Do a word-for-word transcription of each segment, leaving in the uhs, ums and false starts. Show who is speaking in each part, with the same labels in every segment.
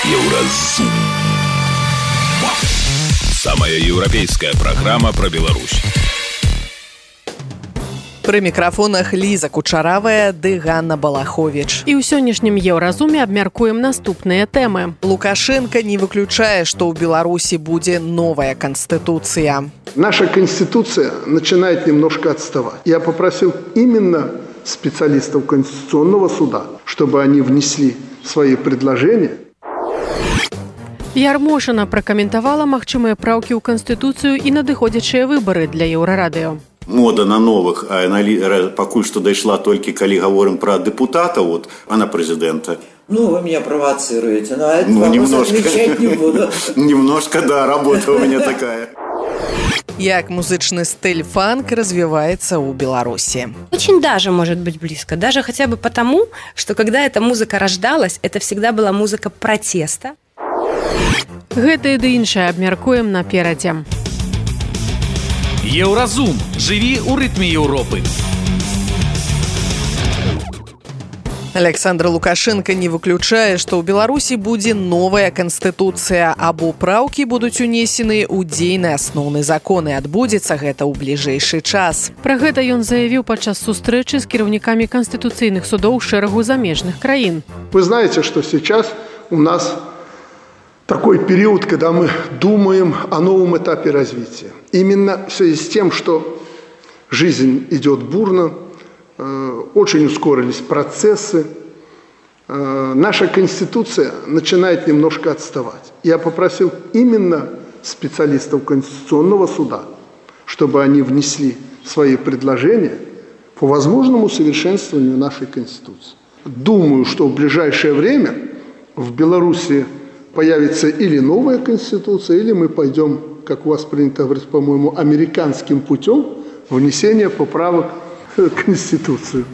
Speaker 1: Еўразум. Самая еўрапейская программа про Беларусь.
Speaker 2: Пры мікрафонах Ліза Кучаравая ды Ганна Балахович.
Speaker 3: І ў сённяшнім Еўразуме абмяркуем наступныя тэмы.
Speaker 2: Лукашенко не выключае, што ў Беларусі будзе новая конституция.
Speaker 4: Наша конституция начинает немножко отставать. Я попросил именно специалистов Конституционного суда, чтобы они внесли свои предложения.
Speaker 3: Ярмошина пракаментавала магчымыя праўкі ў Канстытуцыю і надыходзячыя выбары для Еўрарадыё.
Speaker 5: Мода на новых, а пакуль што дайшла толькі калі гаворым пра дэпутата, вот, а на прэзідэнта.
Speaker 6: Ну, вы меня провоцируете, но это
Speaker 5: ну,
Speaker 6: вопрос
Speaker 5: немножко,
Speaker 6: отвечать не буду.
Speaker 5: Немножко, да, работа у меня такая.
Speaker 2: Як музычный стиль фанк развивается у Беларуси?
Speaker 7: Очень даже может быть близко. Даже хотя бы потому, что когда эта музыка рождалась, это всегда была музыка протеста.
Speaker 3: Гэта ды іншае абмяркуем наперадзе.
Speaker 1: Еўразум. Жыві ў рытме Еўропы.
Speaker 2: Александр Лукашенко не выключае, што ў Беларусі будзе новая канстытуцыя, або праўкі будуць унесены ў дзейны асноўны закон, і адбудзецца гэта ў бліжэйшы час.
Speaker 3: Пра гэта ён заявіў падчас сустрэчы з кіраўнікамі канстытуцыйных судоў шэрагу замежных краін.
Speaker 4: Вы знаете, что сейчас у нас такой период, когда мы думаем о новом этапе развития. Именно в связи с тем, что жизнь идет бурно, очень ускорились процессы, наша Конституция начинает немножко отставать. Я попросил именно специалистов Конституционного суда, чтобы они внесли свои предложения по возможному совершенствованию нашей Конституции. Думаю, что в ближайшее время в Беларуси появится или новая Конституция, или мы пойдем, как у вас принято говорить, по-моему, американским путем внесения поправок в Конституцию.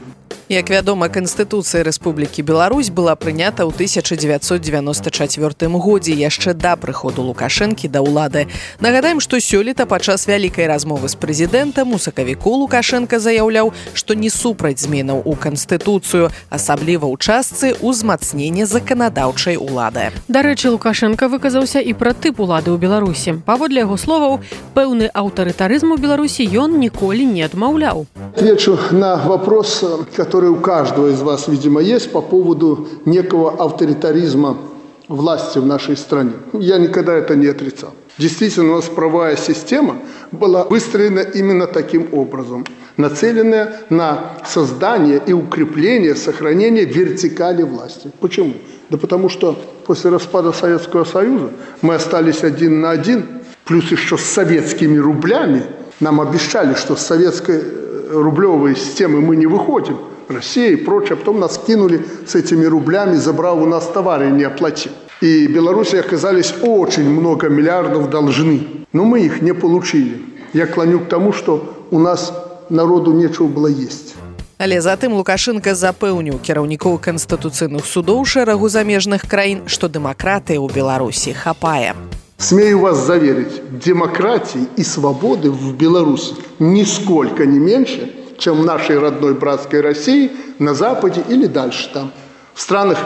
Speaker 2: Як вядома, Канстытуцыя Рэспублікі Беларусь была прынята ў тысяча дзевяцьсот дзевяноста чацвёртым годзе, яшчэ да прыходу Лукашэнкі да ўлады. Нагадаем, што сёлета падчас вялікай размовы з прэзідэнтам у сакавіку Лукашенко заяўляў, што не супраць зменаў у Канстытуцыю, асабліва ў частцы ўзмацнення заканадаўчай улады.
Speaker 3: Дарэчы, Лукашенко выказаўся і пра тып улады ў Беларусі. Паводле яго словаў, пэўны аўтарытарызм у Беларусі ён ніколі не адмаўляў.
Speaker 4: Отвечу на вопрос, который у каждого из вас, видимо, есть по поводу некого авторитаризма власти в нашей стране. Я никогда это не отрицал. Действительно, у нас правовая система была выстроена именно таким образом, нацеленная на создание и укрепление, сохранение вертикали власти. Почему? Да потому что после распада Советского Союза мы остались один на один, плюс еще с советскими рублями. Нам обещали, что с советской рублевой системы мы не выходим. Россия и прочее, а потом нас кинули с этими рублями, забрав у нас товары и не оплатив. И Беларуси оказались очень много миллиардов должны, но мы их не получили. Я клоню к тому, что у нас народу нечего было есть.
Speaker 2: Але затым Лукашенко запэўніў кіраўнікоў канстытуцыйных судоў шэрагу замежных краін, што дэмакратыі ў Беларусі хапае.
Speaker 4: Смею вас заверить, демократии и свободы в Беларуси нисколько не меньше, чем в нашей родной братской России, на Западе или дальше там, в странах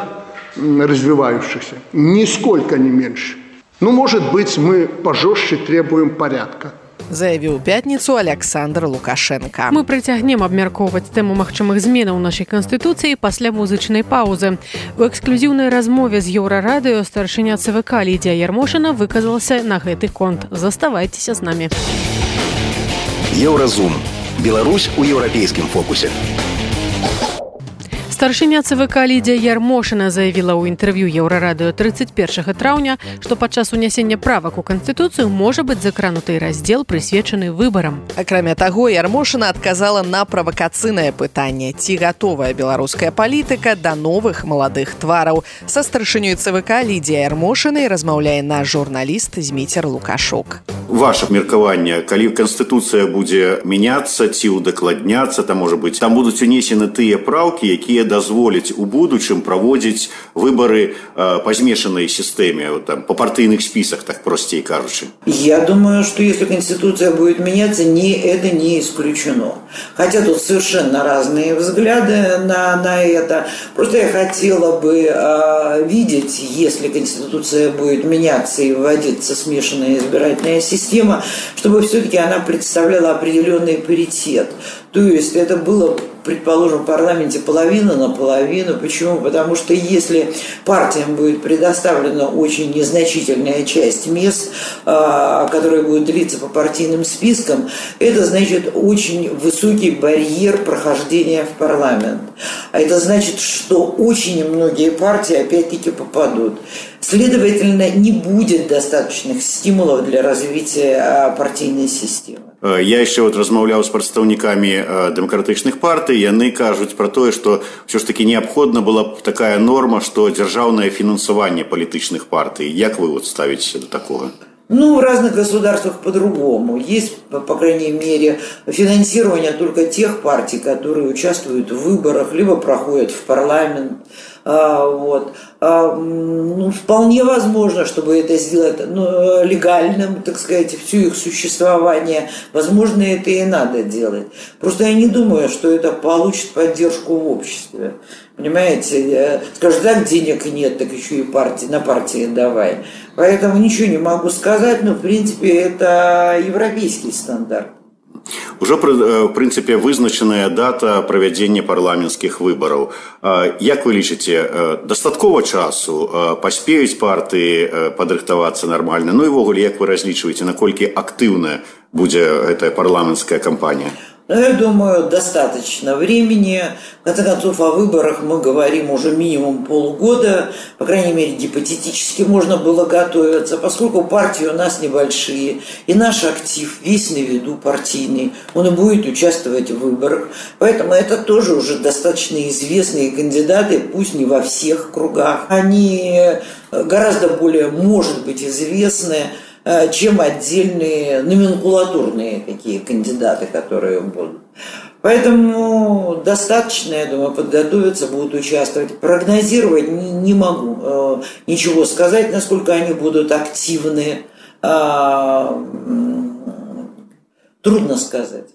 Speaker 4: развивающихся. Нисколько не меньше. Ну, может быть, мы пожестче требуем порядка.
Speaker 2: Заявіў у пятніцу Александр Лукашенко.
Speaker 3: Мы працягнем абмяркоўваць тэму магчымых зменаў у нашай Канстытуцыі пасля музычнай паўзы. У эксклюзіўнай размове з Еўрарадыё старшыня ЦВК Лідзія Ярмошина выказалася на гэты конт. Заставайцеся з намі.
Speaker 8: Еўразум. Беларусь у еўрапейскім фокусе.
Speaker 3: Старшыня ЦВК Лідзія Ярмошина заявіла ў інтэрв'ю Еўрарадыё трыццаць першага траўня, што падчас унясення правак у Канстытуцыю можа быць закрануты раздзел, прысвечаны выбарам.
Speaker 2: Акрамя таго, Ярмошина адказала на правакацыйнае пытанне, ці гатовая беларуская палітыка да новых маладых твараў. Са старшынёй ЦВК Лідзія Ярмошинай размаўляе наш журналіст Зміцер Лукашук.
Speaker 5: Ваше меркаванне, калі Канстытуцыя будзе мяняцца ці ўдакладняцца, там, можа быць, там будуць унесены тыя праўкі, якія дазволіць у будучым праводзіць выборы э, па змешанай сістэме, вот, там, па партыйных спісах, так простей кажучы?
Speaker 6: Я думаю, что если Конституция будет меняться, не, это не исключено. Хотя тут совершенно разные взгляды на, на это. Просто я хотела бы э, видеть, если Конституция будет меняться и вводиться смешанная избирательная система, чтобы все-таки она представляла определенный паритет. То есть это было, предположим, в парламенте половина на половину. Почему? Потому что если партиям будет предоставлена очень незначительная часть мест, которая будет длиться по партийным спискам, это значит очень высокий барьер прохождения в парламент. А это значит, что очень многие партии опять-таки попадут. Следовательно, не будет достаточных стимулов для развития партийной системы.
Speaker 5: Я яшчэ вот размаўляў з прадстаўнікамі дэмакратычных партый, яны кажуць пра тое, што ўсё ж такі неабходна была б такая норма, што дзяржаўнае фінансаванне палітычных партый. Як вы вот ставіцеся до такого?
Speaker 6: Ну, в разных государствах по-другому. Есть, по крайней мере, финансирование только тех партий, которые участвуют в выборах, либо проходят в парламент. А, вот. А, ну, вполне возможно, чтобы это сделать ну, легальным, так сказать, все их существование. Возможно, это и надо делать. Просто я не думаю, что это получит поддержку в обществе. Понимаете, скажут, так денег нет, так еще и партии, на партии давай. Поэтому ничего не могу сказать, но в принципе это европейский стандарт.
Speaker 5: Ужо, в прынцыпе, вызначаная дата правядзення парламенцкіх выбараў. Як вы лічыце, дастаткова часу паспеюць партыі падрыхтавацца нармальна? Ну і ввогуле, як вы разлічваеце, наколькі актыўная будзе гэтая парламенцкая кампанія?
Speaker 6: Я думаю, достаточно времени. В конце концов, о выборах мы говорим уже минимум полгода. По крайней мере, гипотетически можно было готовиться, поскольку партии у нас небольшие. И наш актив весь на виду партийный. Он и будет участвовать в выборах. Поэтому это тоже уже достаточно известные кандидаты, пусть не во всех кругах. Они гораздо более, может быть, известны, чем отдельные номенклатурные такие кандидаты, которые будут. Поэтому достаточно, я думаю, подготовиться, будут участвовать. Прогнозировать не могу ничего сказать, насколько они будут активны. Трудно сказать.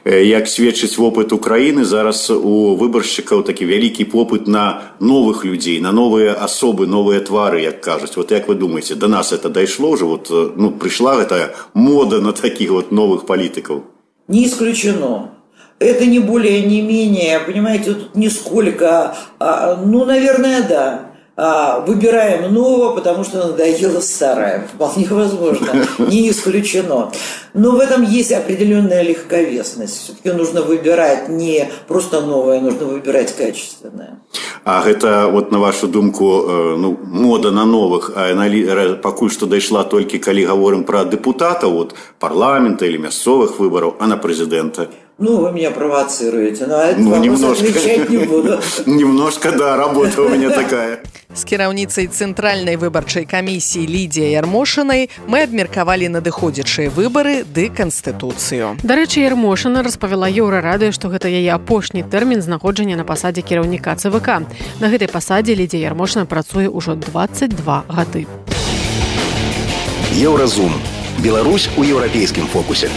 Speaker 5: Як сведчыць вопыт Украіны, зараз у выбаршчыкаў такі вялікі попыт на новых людзей, на новыя асобы, новыя твары, як кажуць. Вот як вы думаете, до нас это дайшло уже? Вот, ну, пришла гэтая мода на таких вот новых политиков?
Speaker 6: Не исключено. Это не более, не менее, понимаете, тут нисколько, а, ну, наверное, да. Выбираем нового, потому что надоело старое. Вполне возможно, не исключено. Но в этом есть определенная легковесность. Все-таки нужно выбирать не просто новое, нужно выбирать качественное.
Speaker 5: А это, вот на вашу думку, ну, мода на новых, а пакуль што дайшла толькі калі гаворым пра дэпутатаў, вот, парламента или мясцовых выборов, а на президента?
Speaker 6: Ну, вы меня провоцируете, но этот
Speaker 5: ну,
Speaker 6: вопрос
Speaker 5: немножко,
Speaker 6: отвечать не буду.
Speaker 5: Немножко, да, работа у меня такая.
Speaker 2: З кіраўніцай Цэнтральнай выбарчай камісіі Лідзіяй Ярмошынай мы абмеркавалі надыходзячыя выбары ды Канстытуцыю.
Speaker 3: Дарэчы, Ярмошына распавяла Еўрарадыё, што гэта яе апошні тэрмін знаходжання на пасадзе кіраўніка ЦВК. На гэтай пасадзе Лідзія Ярмошына працуе ўжо дваццаць два гады.
Speaker 8: Еўразум. Беларусь у еўрапейскім фокусе.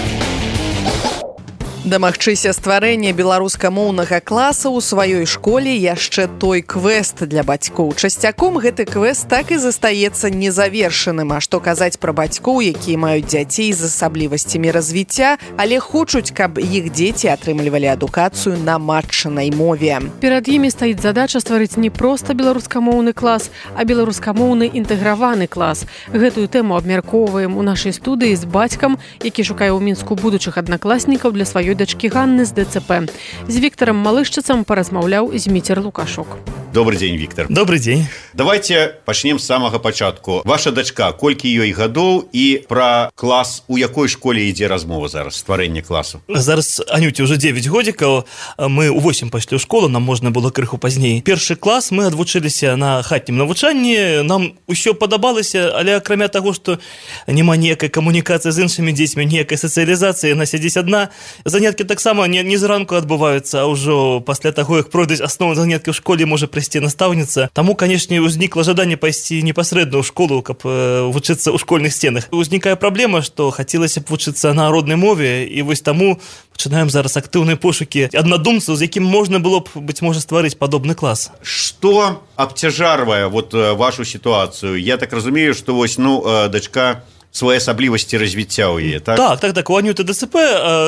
Speaker 2: Дамагчыся стварэння беларускамоўнага класа ў сваёй школе яшчэ той квест для бацькоў. Часцяком гэты квест так і застаецца незавершаным. А што казаць пра бацькоў, якія маюць дзяцей з асаблівасцямі развіцця, але хочуць, каб іх дзеці атрымлівалі адукацыю на матчынай мове.
Speaker 3: Перад імі стаіць задача стварыць не проста беларускамоўны клас, а беларускамоўны інтэграваны клас. Гэтую тэму абмяркоўваем у нашай студыі з бацькам, які шукае ў Мінску будучых аднакласнікаў для сваёй дачкі Ганны з ДЦП. З Віктарам Малышчыцам паразмаўляў Зміцер Лукашук.
Speaker 5: Добрый день, Виктор.
Speaker 9: Добрый день.
Speaker 5: Давайте пачнем з самага пачатку. Ваша дачка, колькі ёй гадоў і пра клас, у якой школе ідзе размова зараз, стварэнне класу?
Speaker 9: Зараз Анюте уже девять годикаў, мы у восемь пайшлі ў школу, нам можна было крыху пазней. Першы клас мы адвучыліся на хатнім навучанні, нам усё падабалася, але акрамя таго, што няма ніякай камунікацыі з іншымі дзецьмі, ніякай сацыялізацыі, яна сядзіць адна. Заняткі таксама не, не зранку адбываюцца, а ўжо пасля таго, як пройдуць асноўныя заняткі ў школе, можа прыйсці настаўніца. Таму, канешне, узнікла жаданне пайсці непасрэдна ў школу, каб э, вучыцца ў школьных сценах. Узнікае праблема, што хацелася б вучыцца на роднай мове, і вось таму пачынаем зараз актыўныя пошукі аднадумцаў, з якім можна было б, быць можа, стварыць падобны клас.
Speaker 5: Што абцяжарвае вот вашу сітуацыю? Я так разумею, што вось, ну, дачка своеасаблівасці развіцця ў яе, так?
Speaker 9: Так, так, так, у Анюты ДЦП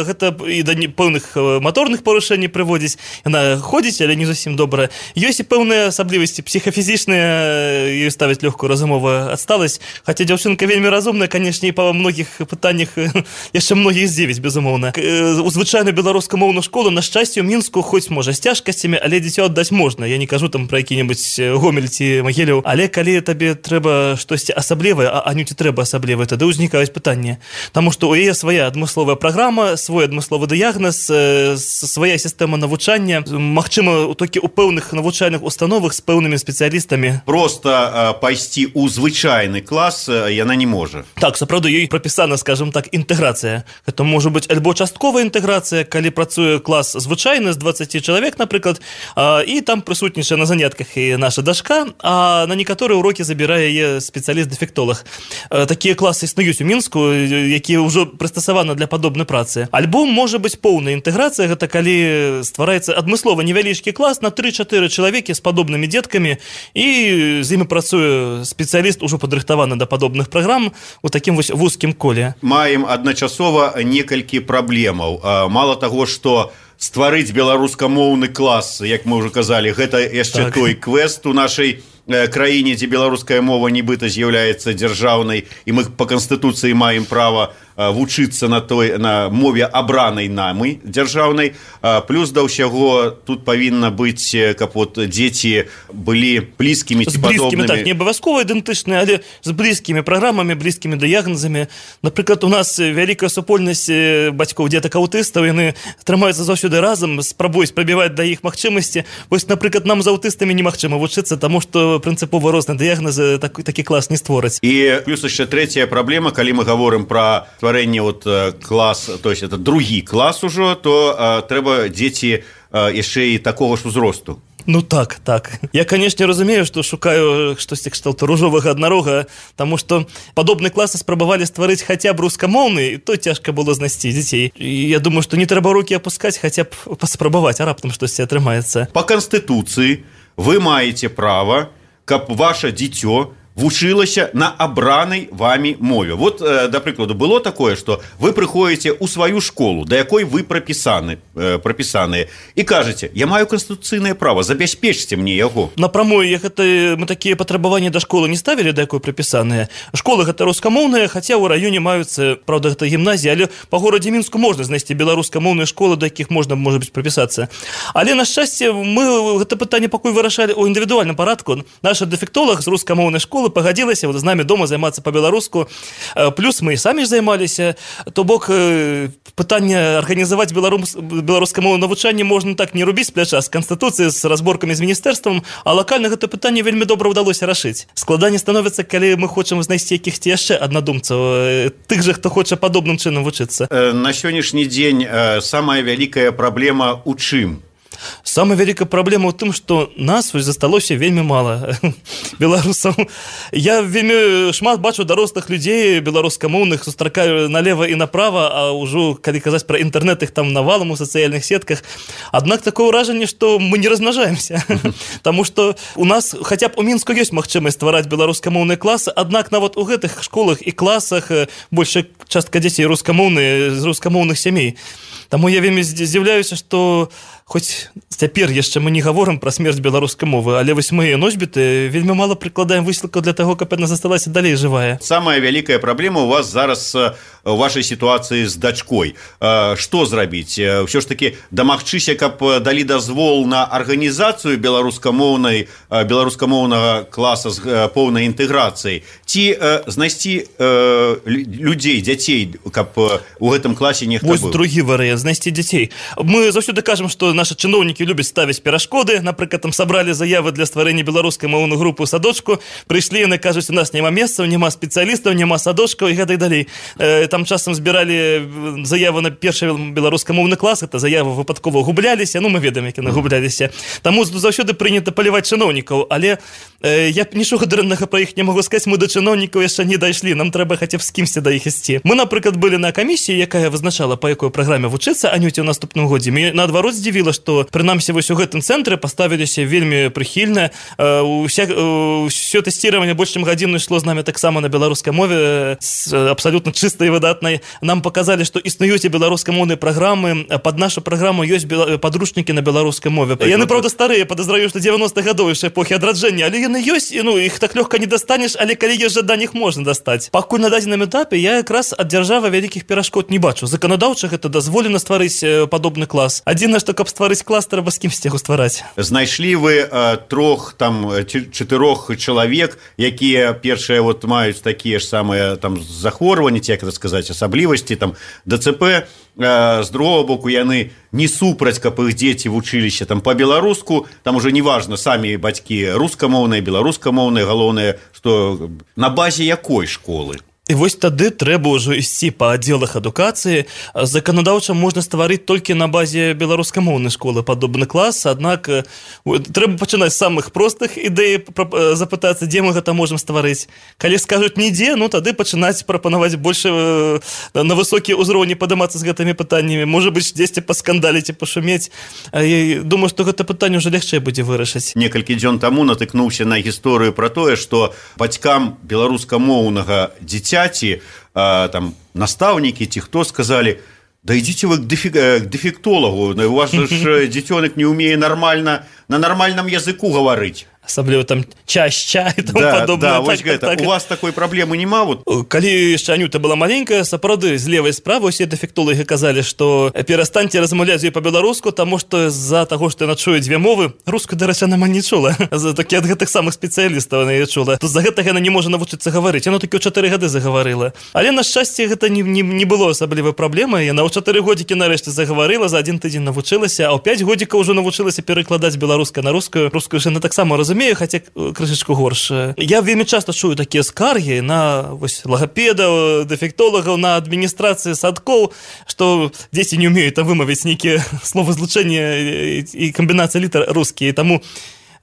Speaker 9: гэта і да пэўных маторных парушэнняў прыводзіць. Яна ходзіць, але не зусім добра. Ёсць і пэўныя асаблівасці псіхафізічныя, ёй ставяць лёгкую разумовую адсталасць. Хаця дзяўчынка вельмі разумная, канешне, і па многіх пытаннях яшчэ многіх здзівіць, безумоўна. У звычайную беларускамоўную школу, на шчасце, у Мінску, хоць, можа, з цяжкасцямі, але дзіцё аддаць можна. Я не кажу там пра які-небудзь Гомель ці Магілёў. Але калі табе трэба штосьці асаблівае, а Анюце трэба асаблівае, тады ўзнікаюць пытанні. Таму што ў яе свая адмысловая праграма, свой адмысловы дыягназ, свая сістэма навучання, магчыма, толькі ў пэўных навучальных установах з пэўнымі спецыялістамі.
Speaker 5: Проста пайсці ў звычайны клас яна не можа.
Speaker 9: Так, сапраўды, ёй прапісана, скажем так, інтэграцыя. Гэта можа быць альбо частковая інтэграцыя, калі працуе клас звычайны з дваццаці чалавек, напрыклад, і там прысутнічае на занятках і наша дачка, а на некаторыя урокі забірае яе спецыяліст-дэфектолог. Такія класы існуюць у Мінску, якія ўжо прыстасаваны для падобнай працы. Альбо можа быць поўная інтэграцыя, гэта калі ствараецца адмыслова невялічкі клас на тры-чатыры чалавекі з падобнымі дзеткамі, і з імі працуе спецыяліст, ужо падрыхтаваны да падобных праграм у такім вось вузкім коле.
Speaker 5: Маем адначасова некалькі праблемаў. Мала таго, што стварыць беларускамоўны клас, як мы ўжо казалі, гэта яшчэ так. Той квест у нашай краіне, дзе беларуская мова нібыта з'яўляецца дзяржаўнай, і мы па канстытуцыі маем права вучыцца на той на мове абранай намы дзяржаўнай. Плюс да ўсяго тут павінна быць, каб вот дзеці былі блізкімі ці падобнымі.
Speaker 9: Так, не абавязкова ідэнтычныя, але з блізкімі праграмамі, блізкімі дыягназамі. Напрыклад, у нас вялікая супольнасць бацькоў дзетак аўтыстаў, яны трымаюцца заўсёды разам, спрабуюць прабіваць да іх магчымасці. Вось, напрыклад, нам з аўтыстамі немагчыма вучыцца, таму што прынцыпова розныя дыягназы такі, такі клас не створаць.
Speaker 5: І плюс яшчэ трэцяя праблема, калі мы гаворым пра стварэнне вот клас, то есть это другі клас ужо, то а, трэба дзеці а, яшчэ і такога ж узросту.
Speaker 9: Ну так, так. Я, канешне, разумею, што шукаю штосьці кшталту ружовага аднарога, таму што падобны класы спрабавалі стварыць хаця б рускамоўны, і то цяжка было знайсці дзяцей. І я думаю, што не трэба рукі апускаць, хаця б паспрабаваць, а раптам штосьці атрымаецца.
Speaker 5: Па канстытуцыі вы маеце права, каб ваша дзіцё вучылася на абранай вамі мове. Вот, э, да прыкладу, было такое, што вы прыходзіце ў сваю школу, да якой вы прапісаны, э, прапісаныя, і кажаце, я маю канстытуцыйнае права, забяспечце мне яго.
Speaker 9: Напрамую, як гэта, мы такія патрабаванні да школы не ставілі, да якой прапісаныя. Школы гэта рускамоўныя, хаця ў раёне маюцца, правда, гэта гімназія, але па горадзе Мінску можна знайсці беларускамоўныя школы, да якіх можна, можа быць, прапісацца. Але, на шчасце, мы гэта пытанне пакуль вырашалі ў індывідуальным парадку. Наша дэфектолог з рускамоўнай школы пагадзілася вот з намі дома займацца па-беларуску, плюс мы і самі ж займаліся, то бок пытанне арганізаваць беларус... беларускамоўнае навучанне можна так не рубіць з пляча з канстытуцыі, з разборкамі з міністэрствам, а лакальна гэта пытанне вельмі добра ўдалося рашыць. Складанне становіцца, калі мы хочам знайсці якіхці яшчэ аднадумцаў, тых жа, хто хоча падобным чынам вучыцца.
Speaker 5: На сённяшні дзень самая вялікая праблема ў чым?
Speaker 9: Самая вялікая праблема ў тым, што нас засталося вельмі мала беларусаў. Я вельмі шмат бачу дарослых людзей беларускамоўных, сустракаю налева і направа, а ўжо калі казаць пра інтэрнэт, іх там навалам у сацыяльных сетках. Аднак такое ўражанне, што мы не размнажаемся. Таму што у нас хаця б у Мінску ёсць магчымасць ствараць беларускамоўныя класы, аднак нават у гэтых школах і класах большая частка дзяцей рускамоўныя з рускамоўных сямей. Таму я вельмі здзіўляюся, што хоць цяпер яшчэ мы не гаворым пра смерць беларускай мовы, але вось мы, носьбіты, вельмі мала прыкладаем высілкаў для таго, каб яна засталася далей жывая.
Speaker 5: Самая вялікая праблема у вас зараз в вашай сітуацыі з дачкой. Што зрабіць? Ўсё ж такі дамагчыся, каб далі дазвол на арганізацыю беларускамоўнай беларускамоўнага класа з поўнай інтэграцыяй, ці знайсці людзей, дзяцей, каб у гэтым класе нехта быў?
Speaker 9: Вось другі варыянт, знайсці дзяцей. Мы заўсёды кажам, што нашы чыноўнікі любяць ставіць перашкоды. Напрыклад, там сабралі заявы для стварэння беларускай моўнай групы ў садочку, прыйшлі, яны кажуць, у нас няма месцаў, няма спецыялістаў, няма садочкаў і гэтак далей. Там часам збіралі заяву на першы беларускамоўны клас, это заявы выпадкова губляліся, ну мы ведаем, як яны губляліся. Таму заўсёды прынята паліваць чыноўнікаў, але я нічога дрэннага пра іх не магу сказаць, мы да чыноўнікаў яшчэ не дайшлі, нам трэба хаця б з кімсьці да іх ісці. Мы, напрыклад, былі на камісіі, якая вызначала, па якой праграме вучыцца Анюце ў наступным годзе. Мне наадварот здзівіла, што прынамсі вось у гэтым цэнтры паставіліся вельмі прыхільна. Усё тэсціраванне больш чым гадзіну ішло з намі таксама на беларускай мове, абсалютна чыстай і выдатнай. Нам паказалі, што існуюць і беларускамоўныя праграмы, пад нашу праграму ёсць падручнікі на беларускай мове. Яны, правда, старыя, падазраю, што дзевяностых гадоў яшчэ эпохі адраджэння, але яны ёсць, і ну іх так лёгка не дастанеш, але калі ёсць жаданне, іх можна дастаць. Пакуль на дадзеным этапе я якраз ад дзяржавы вялікіх перашкод не бачу. Заканадаўча гэта дазволена стварыць падобны клас. Адзінае, што каб стварыць клас, трэба з кімсьці яго ствараць.
Speaker 5: Знайшлі вы э, трох там чатырох чалавек, якія першыя вот маюць такія ж самыя там захворванні, ці як это сказаць, асаблівасці там ДЦП. Э, з другого боку, яны не супраць, каб іх дзеці вучыліся там па-беларуску, там уже неважна, самі бацькі рускамоўныя, беларускамоўныя, галоўнае, што на базе якой школы?
Speaker 9: І вось тады трэба ўжо ісці па аддзелах адукацыі. Заканадаўча можна стварыць толькі на базе беларускамоўнай школы падобны клас, аднак трэба пачынаць з самых простых ідэй, запытацца, дзе мы гэта можам стварыць. Калі скажуць нідзе, ну тады пачынаць прапанаваць больш на высокія ўзроўні падымацца з гэтымі пытаннямі, можа быць, дзесьці паскандаліць і пашумець. Я думаю, што гэта пытанне ўжо лягчэй будзе вырашыць.
Speaker 5: Некалькі дзён таму натыкнуўся на гісторыю пра тое, што бацькам беларускамоўнага дзіця ці э, там настаўнікі ці хто сказалі: да ідзіце вы к дэфектолагу, у вас же дзіцёнак не ўмее нармальна на нармальным языку гаварыць.
Speaker 9: Асабліва там ча-ча і тому
Speaker 5: да,
Speaker 9: падобнае.
Speaker 5: Да,
Speaker 9: так,
Speaker 5: вось
Speaker 9: так,
Speaker 5: гэта.
Speaker 9: так.
Speaker 5: У вас такой праблемы няма? Вот.
Speaker 9: Калі яшчэ Анюта была маленькая, сапраўды, з левай справы усе дэфектолагі казалі, што перастаньце размаўляць з ёй па-беларуску, таму што з-за таго, што яна чуе дзве мовы, рускую, дарэчы, яна не чула. Такі ад гэтых самых спецыялістаў яна не чула. То з-за гэтага яна не можа навучыцца гаварыць. Яна толькі ў чатыры гады загаварыла. Але, на шчасце, гэта не, не, не было асаблівай праблемы. Яна ў чатыры годзікі нарэшце загаварыла, за адзін тыдзень навучылася, а ў пяць годзікаў ужо навучылася перакладаць беларускай на рускую. Рускую ж яна таксама разумее, хаця крышачку горш. Я вельмі часта чую такія скаргі на вось лагапедаў, дэфектолагаў, на адміністрацыі садкоў, што дзеці не ўмеюць там вымавіць нейкія словазлучэння і камбінацыі літар рускія, таму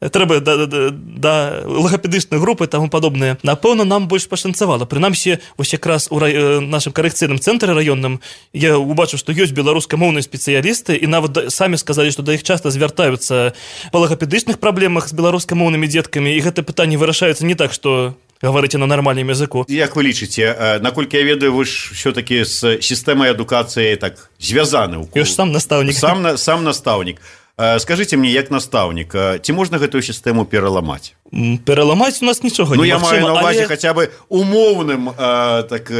Speaker 9: трэба да, да, да лагапедычнай групы і таму падобнае. Напэўна, нам больш пашанцавала. Прынамсі, вось якраз у рай... нашым карэкцыйным цэнтры раённым я убачыў, што ёсць беларускамоўныя спецыялісты, і нават самі сказалі, што да іх часта звяртаюцца па лагапедычных праблемах з беларускамоўнымі дзеткамі, і гэта пытанне вырашаецца не так, што гаварыце на нармальным языку.
Speaker 5: Як вы лічыце, наколькі я ведаю, вы ж ўсё-такі з сістэмай адукацыі так звязаны ў кул.
Speaker 9: Ёсць сам настаўнік.
Speaker 5: Сам, сам настаўнік. Скажыце мне, як настаўнік, ці можна гэтую сістэму пераламаць?
Speaker 9: Пераламаць у нас нічога
Speaker 5: ну,
Speaker 9: немагчыма.
Speaker 5: Ну, я маю на ўвазе
Speaker 9: але...
Speaker 5: хаця бы умоўным, э, так,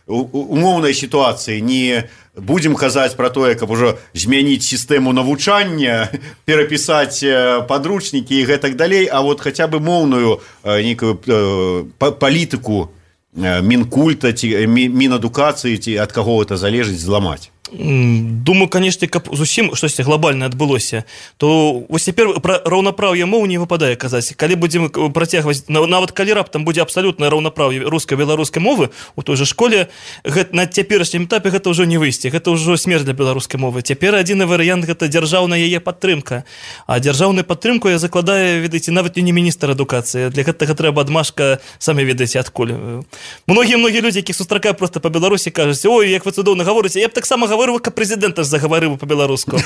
Speaker 5: умоўнай сітуацыі. Не будзем казаць пра тое, каб ужо змяніць сістэму навучання, перапісаць падручнікі і гэтак далей, а вот хаця бы моўную нейкую э, палітыку мінкульта ці мінадукацыі, ці ад каго гэта залежыць, зламаць.
Speaker 9: Думаю, канешне, каб зусім штосьці глобальна адбылося, то вось цяпер пра раўнапраўе моў не выпадае казаць. Калі будзем працягваць, нават калі раптам будзе абсалютнае раўнапраўе руска-беларускай мовы у той жа школе, гэта, на цяперашнім этапе гэта ўжо не выйсці, гэта ўжо смерць для беларускай мовы. Цяпер адзіны варыянт гэта дзяржаўная яе падтрымка. А дзяржаўную падтрымку я закладаю, ведаеце, нават не міністр адукацыі. Для гэтага трэба адмашка, самі ведаеце, адкуль. Многія-многія людзі, якіх сустракаю проста па Беларусі, кажуць: ой, як вы цудоўна гаворыце, я б таксама гаварыў, каб прэзідэнт загаварыў па-беларуску.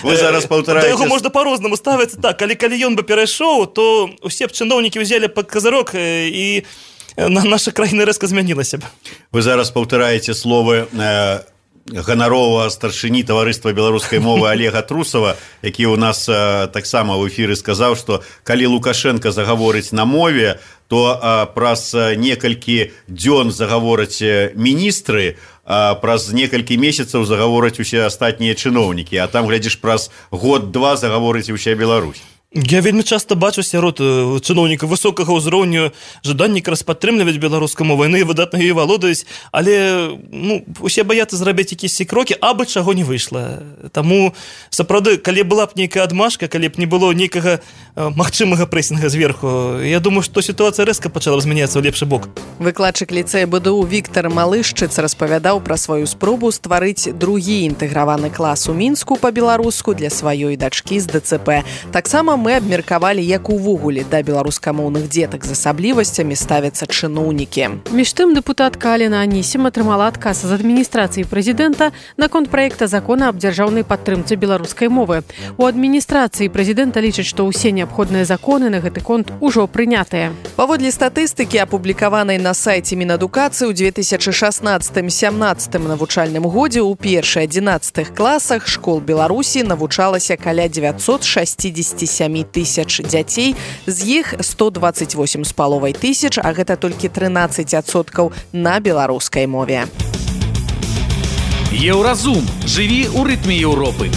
Speaker 5: Вы зараз паўтараеце.
Speaker 9: Да яго можна па-рознаму ставіць так, але калі ён бы перайшоў, то усе б чыноўнікі ўзялі пад казырок, і наша краіна рэзка змянілася б.
Speaker 5: Вы зараз паўтараеце словы э, ганаровага старшыні таварыства беларускай мовы Олега Трусова, які ў нас э, таксама ў эфіры сказаў, што калі Лукашенко загаворыць на мове, то а, праз некалькі дзён загавораць міністры, а праз некалькі месяцаў загавораць усе астатнія чыноўнікі, а там, глядзіш, праз год-два загаворыць уся Беларусь.
Speaker 9: Я вельмі часта бачу сярод чыноўнікаў высокага ўзроўню жаданні якраз падтрымліваць беларускую мову, яны выдатна ёй валодаюць, але ну, усе баяцца зрабіць якісь крокі, абы чаго не выйшла. Таму сапраўды, калі была б нейкая адмашка, калі б не было нейкага магчымага прэсінга зверху, я думаю, што сітуацыя рэзка пачала змяняцца ў лепшы бок.
Speaker 2: Выкладчык ліцэя БДУ Віктар Малышчыц распавядаў пра сваю спробу стварыць другі інтэграваны клас у Мінску па-беларуску для сваёй дачкі з ДЦП. Таксама мы абмеркавалі, як увогуле да беларускамоўных дзетак з асаблівасцямі ставяцца чыноўнікі.
Speaker 3: Між тым, дэпутатка Алена Анісім атрымала адказ з адміністрацыі прэзідэнта наконт праекта закона аб дзяржаўнай падтрымцы беларускай мовы. У адміністрацыі прэзідэнта лічаць, што ўсе неабходныя законы на гэты конт ужо прынятыя.
Speaker 2: Паводле статыстыкі, апублікаванай на сайце Мінадукацыі ў две тысячы шаснаццатым сямнаццатым навучальным годзе ў першы-адзінаццатых класах школ Беларусі навучалася каля дзевяцьсот шэсцьдзесят сем тысяч дзяцей, з іх сто дваццаць восем з паловай тысяч, а гэта толькі трынаццаць адсоткаў на беларускай мове.
Speaker 1: Еўразум. Жыві ў рытме Еўропы.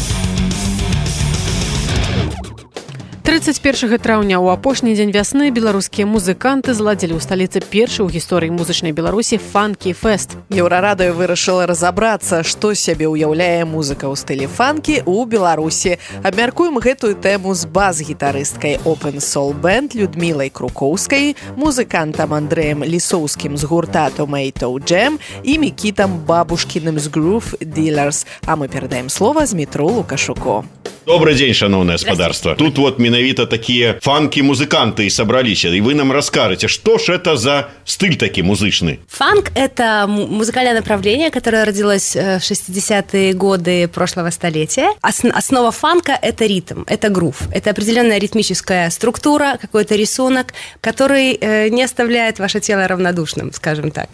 Speaker 3: трыццаць першага траўня ў апошні дзень вясны беларускія музыканты зладзілі ў сталіцы першы ў гісторыі музычнай Беларусі фанкі-фэст.
Speaker 2: Еўрарадыё вырашыла разабрацца, што сябе ўяўляе музыка ў стылі фанкі ў Беларусі. Абмяркуем гэтую тэму з бас-гітарысткай Open Soul Band Людмілай Крукоўскай, музыкантам Андрэем Лісоўскім з гурта Tomato Jam і Мікітам Бабушкіным з Groove Dealers. А мы перадаем слова Змітру Лукашуку.
Speaker 5: Добрый день, шановное господарство. Тут вот менавіта такие фанки-музыканты собрались, и вы нам расскажете, что ж это за стиль такой музычный?
Speaker 7: Фанк – это музыкальное направление, которое родилось в шестидесятые годы прошлого столетия. Основа фанка – это ритм, это грув, это определенная ритмическая структура, какой-то рисунок, который не оставляет ваше тело равнодушным, скажем так.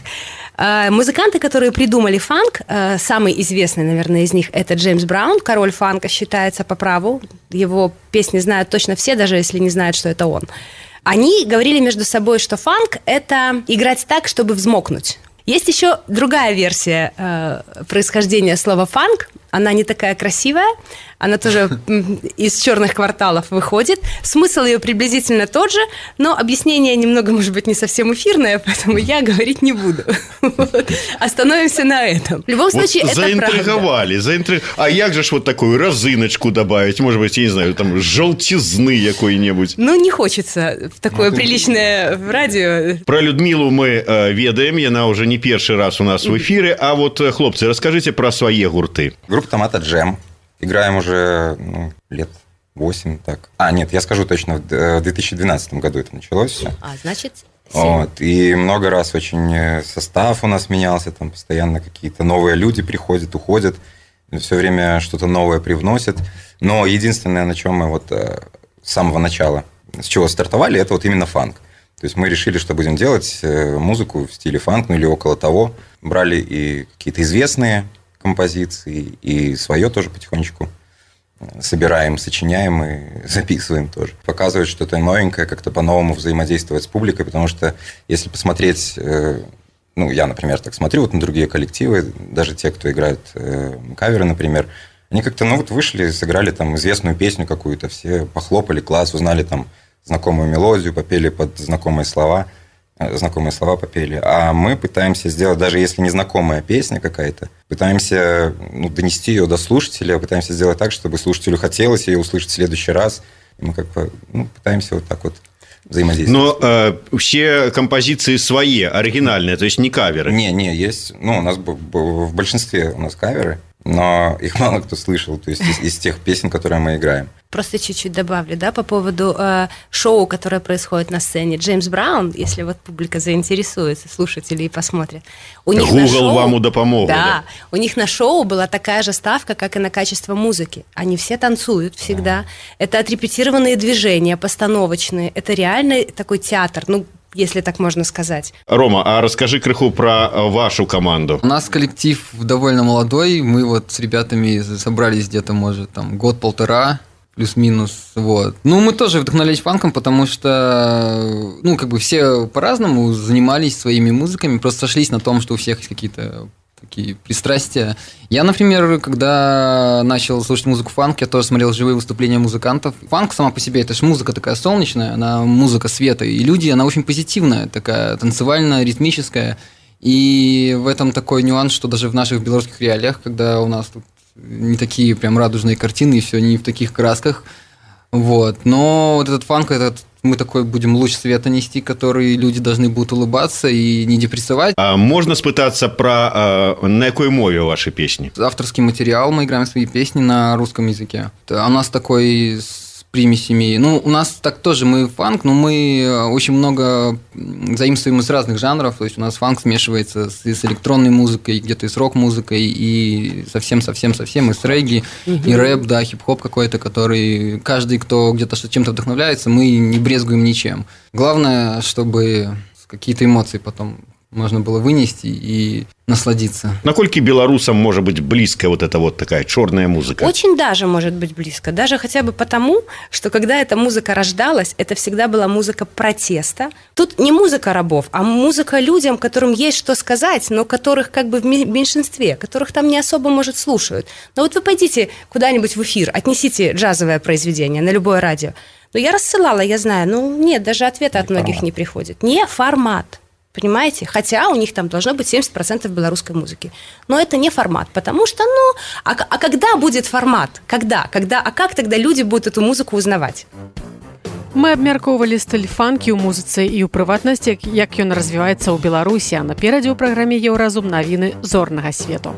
Speaker 7: Музыканты, которые придумали фанк, самый известный, наверное, из них – это Джеймс Браун, король фанка считается по праву. Его песни знают точно все, даже если не знают, что это он. Они говорили между собой, что фанк – это играть так, чтобы взмокнуть. Есть еще другая версия э, происхождения слова «фанк». Она не такая красивая, она тоже из черных кварталов выходит. Смысл ее приблизительно тот же, но объяснение немного, может быть, не совсем эфирное, поэтому я говорить не буду. Вот. Остановимся на этом. В любом случае, вот это
Speaker 5: заинтриговали, заинтриг... А як же ж вот такую розыночку добавить? Может быть, я не знаю, там желтизны какой-нибудь?
Speaker 7: Ну, не хочется в такое приличное радио.
Speaker 5: Про Людмилу мы э, ведаем, она уже не первый раз у нас в эфире. А вот, хлопцы, расскажите про свои гурты.
Speaker 10: Группа Tomato Jam. Играем уже ну, лет восемь, так. А, нет, я скажу точно, в две тысячи двенадцатом году это началось все.
Speaker 7: А, значит,
Speaker 10: вот, и много раз очень состав у нас менялся, там постоянно какие-то новые люди приходят, уходят, все время что-то новое привносят. Но единственное, на чем мы вот с самого начала, с чего стартовали, это вот именно фанк. То есть мы решили, что будем делать музыку в стиле фанк, ну или около того. Брали и какие-то известные композиции, и свое тоже потихонечку собираем, сочиняем и записываем тоже. Показывать что-то новенькое, как-то по-новому взаимодействовать с публикой, потому что если посмотреть, ну, я, например, так смотрю вот на другие коллективы, даже те, кто играют каверы, например, они как-то, ну, вот вышли, сыграли там известную песню какую-то, все похлопали, класс, узнали там знакомую мелодию, попели под знакомые слова, знакомые слова попели. А мы пытаемся сделать, даже если незнакомая песня какая-то, пытаемся ну, донести ее до слушателя, пытаемся сделать так, чтобы слушателю хотелось ее услышать в следующий раз. И мы как бы ну, пытаемся вот так вот взаимодействовать.
Speaker 5: Но э, все композиции свои, оригинальные, то есть не каверы?
Speaker 10: Не, не, есть. Ну, у нас в большинстве у нас каверы, но их мало кто слышал, то есть из, из тех песен, которые мы играем.
Speaker 7: Просто чуть-чуть добавлю, да, по поводу э, шоу, которое происходит на сцене. Джеймс Браун, если вот публика заинтересуется, слушатели и посмотрят. У них
Speaker 5: Google
Speaker 7: на шоу,
Speaker 5: вам удопомог.
Speaker 7: Да,
Speaker 5: да,
Speaker 7: у них на шоу была такая же ставка, как и на качество музыки. Они все танцуют всегда. Это отрепетированные движения, постановочные. Это реальный такой театр, ну, если так можно сказать.
Speaker 5: Рома, а расскажи крыху про вашу команду.
Speaker 11: У нас коллектив довольно молодой. Мы вот с ребятами собрались где-то, может, там, год-полтора. плюс-минус, вот. Ну, мы тоже вдохновлялись фанком, потому что, ну, как бы все по-разному занимались своими музыками, просто сошлись на том, что у всех есть какие-то такие пристрастия. Я, например, когда начал слушать музыку фанк, я тоже смотрел живые выступления музыкантов. Фанк сама по себе, это же музыка такая солнечная, она музыка света, и люди, она очень позитивная, такая танцевальная, ритмическая. И в этом такой нюанс, что даже в наших белорусских реалиях, когда у нас тут не такие прям радужные картины, и все не в таких красках, вот. Но вот этот фанк, этот мы такой будем луч света нести, который люди должны будут улыбаться и не депрессовать.
Speaker 12: А можно спытаться про на какой мове ваши песни?
Speaker 11: Авторский материал, мы играем свои песни на русском языке. У нас такой с примесями. Ну, у нас так тоже, мы фанк, но мы очень много заимствуем из разных жанров. То есть у нас фанк смешивается с, с электронной музыкой, где-то и с рок-музыкой, и совсем-совсем-совсем и с регги, угу. и рэп, да, хип-хоп какой-то, который каждый, кто где-то чем-то вдохновляется, мы не брезгуем ничем. Главное, чтобы какие-то эмоции потом можно было вынести и насладиться.
Speaker 12: Накольки белорусам может быть близко вот эта вот такая черная музыка?
Speaker 7: Очень даже может быть близко. Даже хотя бы потому, что когда эта музыка рождалась, это всегда была музыка протеста. Тут не музыка рабов, а музыка людям, которым есть что сказать, но которых как бы в меньшинстве, которых там не особо, может, слушают. Но вот вы пойдите куда-нибудь в эфир, отнесите джазовое произведение на любое радио. Но я рассылала, я знаю, ну нет, даже ответа от многих не приходит. Не формат. Понимаете? Хотя у них там должно быть семьдесят процентов белорусской музыки. Но это не формат, потому что, ну, а, а когда будет формат? Когда? Когда? А как тогда люди будут эту музыку узнавать?
Speaker 3: Мы абмяркоўвалі стыль фанкі ў музыцы і ў прыватнасці, як ён развіваецца ў Беларусі, а наперадзе ў праграме «Еўразум» навіны зорнага свету.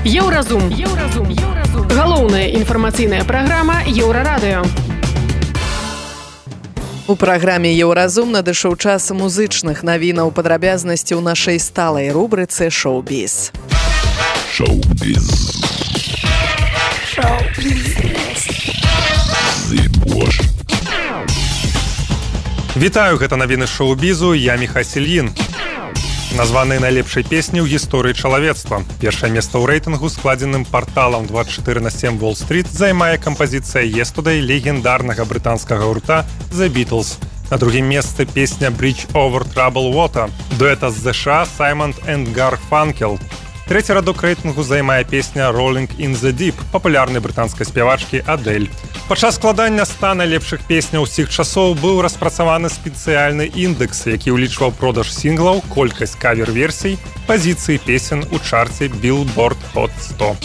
Speaker 3: Еўразум. Еўразум. Еўразум. Галоўная інфармацыйная праграма «Еўрарадыё».
Speaker 2: У праграме «Еўразум» надышоў час музычных навінаў, падрабязнасці ў нашай сталай рубрыцы «Шоу-біз».
Speaker 1: Шоу-біз. Шоу-біз. Зыбош.
Speaker 13: Вітаю, гэта навіны шоу-бізу, я Міхась Ільін. Названыя найлепшай песні ў гісторыі чалавецтва. Першае месца ў рэйтынгу, складзеным парталам двадцать четыре на семь Wall Street, займае кампазіцыя «Yesterday» легендарнага брытанскага гурта The Beatles. На другім месцы песня «Bridge over Troubled Water» дуэта з ЗША Саймон энд Гарфанкел. Трэці радок рэйтынгу займае песня «Rolling in the Deep» папулярнай брытанскай спявачкі Адель. Падчас складання ста найлепшых песняў усіх часоў быў распрацаваны спецыяльны індэкс, які ўлічваў продаж сінглаў, колькасць кавер-версій, пазіцыі песен у чарце Billboard Hot сто.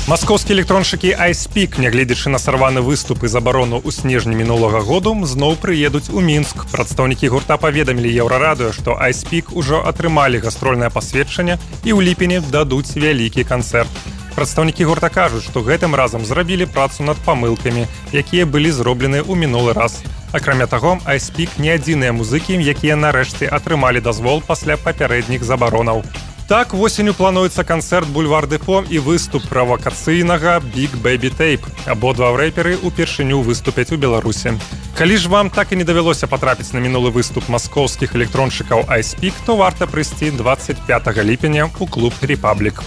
Speaker 13: Маскоўскія электроншчыкі iSpeak, нягледзячы на сарваны выступ і забарону ў снежні мінулага году, зноў прыедуць у Мінск. Прадстаўнікі гурта паведамілі Еўрарадыё, што iSpeak ужо атрымалі гастрольнае пасведчанне і ў ліпені дадуць вялікі канцэрт. Прадстаўнікі гурта кажуць, што гэтым разам зрабілі працу над памылкамі, якія былі зроблены ў мінулы раз. Акрамя таго, iSpeak не адзіныя музыкі, якія нарэшце атрымалі дазвол пасля папярэдніх забаронаў. Так, восенню плануецца канцэрт «Бульвар Депо» і выступ правакацыйнага «Big Baby Tape». Абодва рэперы ўпершыню выступяць у Беларусі. Калі ж вам так і не давялося патрапіць на мінулы выступ маскоўскіх электроншчыкаў iSpeak, то варта прыйсці двадцать пятага ліпеня ў клуб «Репаблік».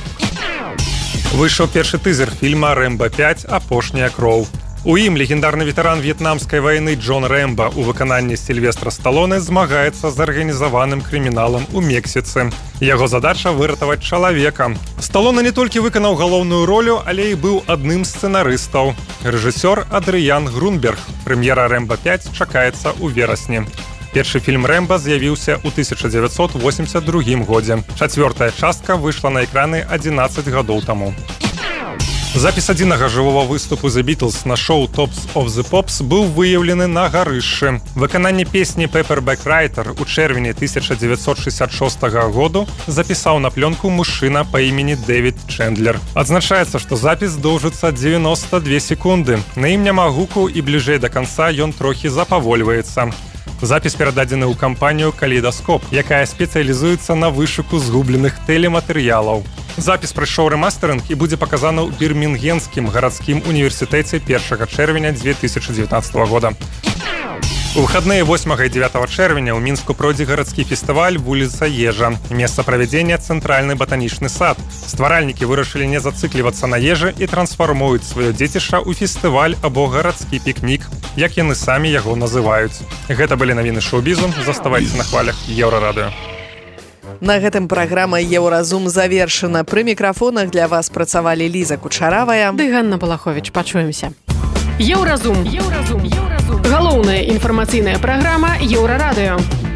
Speaker 13: Выйшаў першы тызер фільма «Рэмба пять. Апошняя кроў». У ім легендарны ветэран в'етнамскай вайны Джон Рэмба ў выкананні Сільвестра Сталоне змагаецца з арганізаваным крыміналам у Мексіцы. Яго задача выратаваць чалавека. Сталоне не толькі выканаў галоўную ролю, але і быў адным з сцэнарыстаў. Рэжысёр Адрыян Грунберг. Прэм'ера «Рэмба пять» чакаецца ў верасні. Першы фільм «Рэмба» з'явіўся ў тысяча дзевяцьсот восемьдесят другім годзе. Чацвёртая частка выйшла на экраны адзінаццаць гадоў таму. Запіс адзінага жывога выступу The Beatles на шоу «Tops of the Pops» быў выяўлены на гарышшы. Выкананне песні «Paperback Writer» у чэрвені тысяча дзевяцьсот шэсцьдзясят шостага году запісаў на плёнку мужчына па імені Дэвід Чэндлер. Адзначаецца, што запіс доўжыцца дзевяноста две секунды. На ім няма гуку і бліжэй да канца ён трохі запавольваецца. Запіс перададзены ў кампанію «Калейдаскоп», якая спецыялізуецца на вышуку згубленых тэлематэрыялаў. Запіс прайшоў рэмастэрынг і будзе паказаны ў Бірмінгемскім гарадскім універсітэце першага чэрвеня две тысячи девятнадцатого года. У выходные восьмага і дзевятага чэрвеня ў Мінску пройдзе гарадскі фестываль «Вуліца Ежа». Месца правядзення – цэнтральны батанічны сад. Стваральнікі вырашылі не зацыклівацца на ежы і трансфармуюць сваё дзецішча ў фестываль або гарадскі пікнік, як яны самі яго называюць. Гэта былі навіны шоу-бізу. Заставайце на хвалях Еўрарадыё.
Speaker 2: На гэтым праграма «Еўразум» завершана. Пры мікрафонах для вас працавалі Ліза Кучаравая
Speaker 3: ды Ганна Балаховіч. Пачуемся. Еўразум. Еўразум. Еўразум. Галоўная інфармацыйная праграма Еўрарадыё.